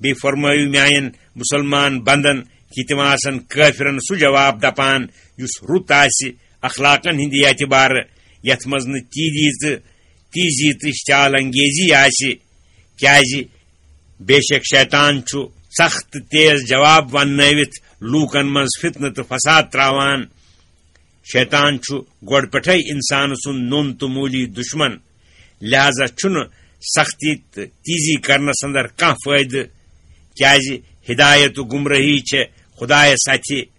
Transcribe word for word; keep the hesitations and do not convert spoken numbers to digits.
بیٚیہِ فرمٲیِو میانٮ۪ن مُسلمان بندن کہِ تِم آسن کٲفرن سُہ جواب دپان یُس رُت آسہِ اخلاقن ہٕنٛدِ اعتبارٕ، یتھ منٛز نہٕ تیٖزی تہٕ تیٖزی تہٕ اشتعال انگیزی آسہِ، کیازِ بے شک شیطان چھُ سخت تیز جواب وننٲوِتھ لوٗکن منٛز فتنہٕ تہٕ فساد تراوان۔ شیطان چھُ گۄڈٕ پٮ۪ٹھے انسان سُنٛد نوٚن تہٕ موٗلی دشمن، لہذا چھُنہٕ سختی تہٕ تیزی کرنس اندر کانٛہہ فٲیدٕ، کیازِ ہدایت و گمراہی چھےٚ خدایس اتھِ،